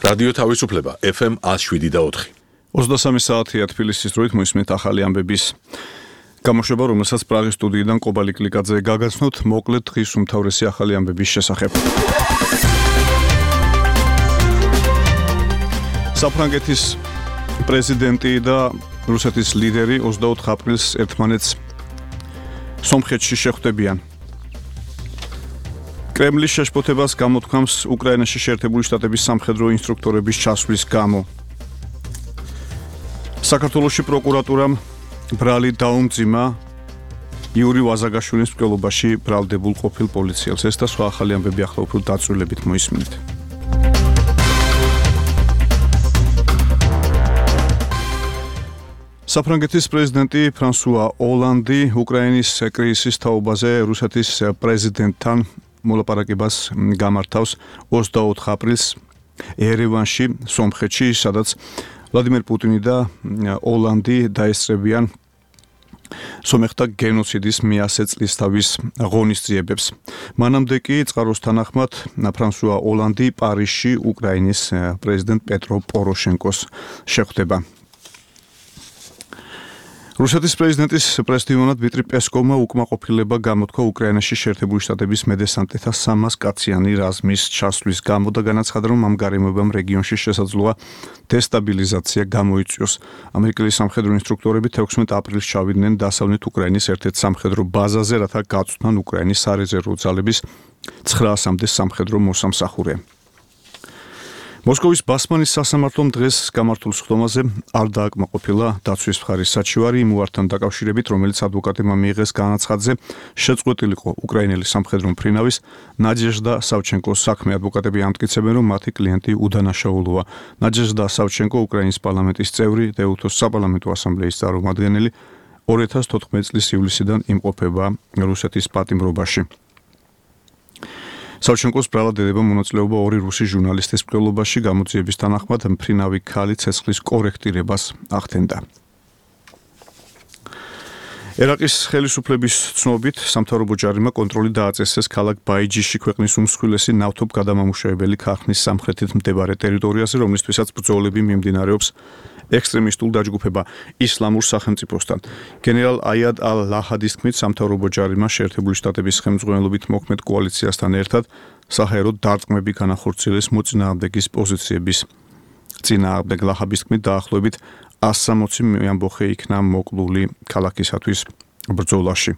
რადიო თავისუფლება FM 107.4. 23 საათია თბილისის დროით მოისმენთ ახალი ამბების გამოშვება, რომელსაც პრაღის სტუდიიდან ყობალი კლიკაძე გაგაცნოთ, მოკლედ დღის უმთავრესი ახალი ამბების შესახებ. საფრანგეთის პრეზიდენტი და რუსეთის ლიდერი 24 აპრილს ერთმანეთს სომხეთში შეხვდებიან. კრემლის შეშფოთებას გამოთქვამს უკრაინაში შეერთებული შტატების სამხედრო ინსტრუქტორების ჩასვლის გამო. საქართველოში პროკურატურამ ბრალი დაუმძიმა იური ვაზაგაშვილის მკვლელობაში ბრალდებულ ყოფილ პოლიციელს. ეს და სხვა ახალი ამბები ახლა უფრო დაწვრილებით მოისმინეთ. საფრანგეთის პრეზიდენტი ფრანსუა ოლანდი უკრაინის კრიზისის თაობაზე რუსეთის პრეზიდენტთან მოლაპარაკებას გამართავს 24 აპრილს ერევანში, სომხეთში, სადაც ვლადიმერ პუტინი და ოლანდი დაესწრებიან სომეხთა გენოციდის მე-100 წლისთავის ღონისძიებებს. მანამდე კი წყაროს თანახმად ფრანსუა ოლანდი პარიზში უკრაინის პრეზიდენტ პეტრო პოროშენკოს შეხვდება. რუსეთის პრეზიდენტის პრესდივანად დმიტრი პესკოვმა უკმაყოფილება გამოთქვა უკრაინაში შეერთებული შტატების მედესანტეთა 300 კაციანი რაზმის ჩასვლის გამო და განაცხადა, რომ ამ გარემოებამ რეგიონში შესაძლოა დესტაბილიზაცია გამოიწვიოს. ამერიკელი სამხედრო ინსტრუქტორები 16 აპრილს ჩავიდნენ დასავლეთ უკრაინის ერთ-ერთ სამხედრო ბაზაზე, რათა გაწვდან უკრაინის სარეზერვო ძალების 900-მდე სამხედრო მოსამსახურე. მოსკოვის ბასმანის სასამართლომ დღეს გამართულ სხდომაზე არ დააკმაყოფილა დაცვის მხარის საჩივარი იმ უართან დაკავშირებით, რომელიც ადვოკატებმა მიიღეს განაცხადზე, შეწყვეტილიყო უკრაინელი სამხედრო მფრინავის ნაჯეჟდა სავჩენკოს საქმე. ადვოკატები ამტკიცებენ, რომ მათი კლიენტი უდანაშაულოა. ნაჯეჟდა სავჩენკო უკრაინის პარლამენტის წევრი, დეუთოს საპარლამენტო ასამბლეის წარმომადგენელი, 2014 წლის ივლისიდან იმყოფება რუსეთის პატიმრობაში. სავჩენკოს ბრალად ედება მონაწილეობა ორი რუსი ჟურნალისტის მკვლელობაში. გამოძიების თანახმად მფრინავი ქალი ცეცხლის კორექტირებას ახდენდა. ერაყის ხელისუფლების ცნობით სამთავრობო ჯარიმა კონტროლი დააწესეს ქალაქ ბაიჯიში, ქვეყნის უმსხვილესი ნავთობგადამამუშავებელი ქარხნის სამხრეთით მდებარე ტერიტორიაზე, რომლისთვისაც ბრძოლები მიმდინარეობს ექსტრემისტულ დაჯგუფება ისლამურ სახელმწიფოსთან. გენერალ აიად ალ-ლაჰადის თქმით, სამთავრობო ჯარიმა შეერთებული შტატების ხელმძღვანელობით მოქმედ კოალიციასთან ერთად საჰაერო დარტყმები განახორციელეს მოწინააღმდეგის პოზიციების წინააღმდეგ. ლაჰადის თქმით, დაახლოებით 160 მეამბოხე იქნა მოკლული ქალაქისათვის ბრძოლაში.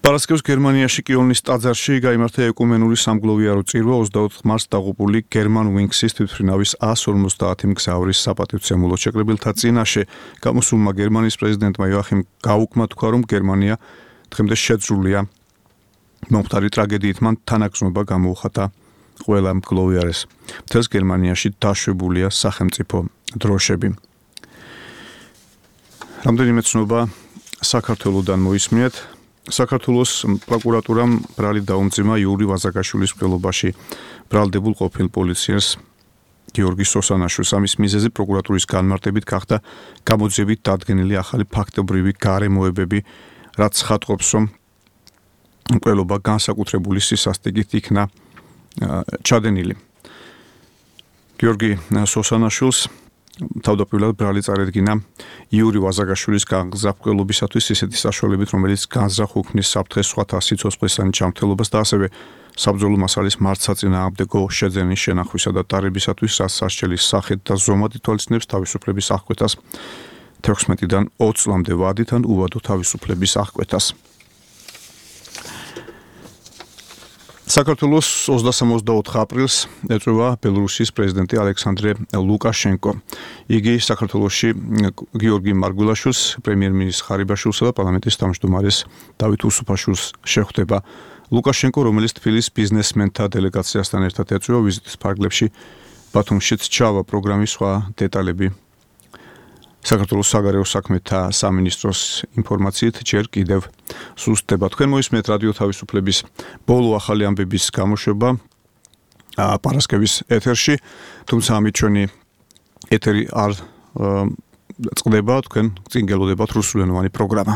პარასკევს გერმანიაში კიოლნის ტაძარში გაიმართა ეკუმენური სამგლოვიარო წირვა 24 მარტს დაღუპული გერმან ვინქსის თვითმფრინავის 150 მგზავრის საპატივცემულო შეკრებილთა წინაშე. გამოსულმა გერმანიის პრეზიდენტმა იოახიმ გაუკმა თქვა, რომ გერმანია დღემდე შეძრულია მომხდარი ტრაგედიით. მან თანაგრძნობა გამოუხატა ყველა მგლოვიარეს. მთელს გერმანიაში დაშვებულია სახელმწიფო დროშები. რამდენიმე ცნობა საქართველოდან მოისმინეთ. საქართველოს პროკურატურამ ბრალი დაუმძიმა იური ვაზაგაშვილის მკვლელობაში ბრალდებულ ყოფილ პოლიციელს გიორგი სოსანაშვილს. ამის მიზეზი პროკურატურის განმარტებით გახდა გამოძიებით დადგენილი ახალი ფაქტობრივი გარემოებები, რაც ხატყობს, რომ მკვლელობა განსაკუთრებული სისასტიკით იქნა ჩადენილი. გიორგი სოსანაშვილს თავდაპირველად ბრალი წარედგინა იური ვაზაგაშვილის განზრახ მკვლელობისათვის ისეთი საშუალებით, რომელიც განზრახ უქმნის საფრთხეს სხვათა სიცოცხლესანი ჯანმრთელობას და ასევე საბრძოლო მასალის მართსაწინააღმდეგო შეძენის შენახვისა და ტარებისათვის, რაც სასჯელის სახით და ზომად ითვალისწინებს თავისუფლების აღკვეთას 16-დან 20 წლამდე ვადით ან უვადო თავისუფლების აღკვეთას. საქართველოს 23 აპრილს ეწვევა ბელორუსიის პრეზიდენტი ალექსანდრე ლუკაშენკო. იგი საქართველოში გიორგი მარგველაშვილს, პრემიერ-მინისტრ ხარიბაშვილსა და პარლამენტის თავმჯდომარეს დავით უსუფაშვილს შეხვდება. ლუკაშენკო, რომელიც თბილისის ბიზნესმენთა დელეგაციასთან ერთად ეწვევა ვიზიტის ფარგლებში, ბათუმშიც ჩავა. პროგრამის სხვა დეტალები საქართველოს საგარეო საქმეთა სამინისტროს ინფორმაციით ჯერ კიდევ სუსტდება. თქვენ მოისმენთ რადიო თავისუფლების ბოლო ახალი ამბების გამოშვება პარასკევის ეთერში, თუმცა ამით ჩვენი ეთერი არ წყდება, თქვენ წინ გელოდებათ რუსულენოვანი პროგრამა.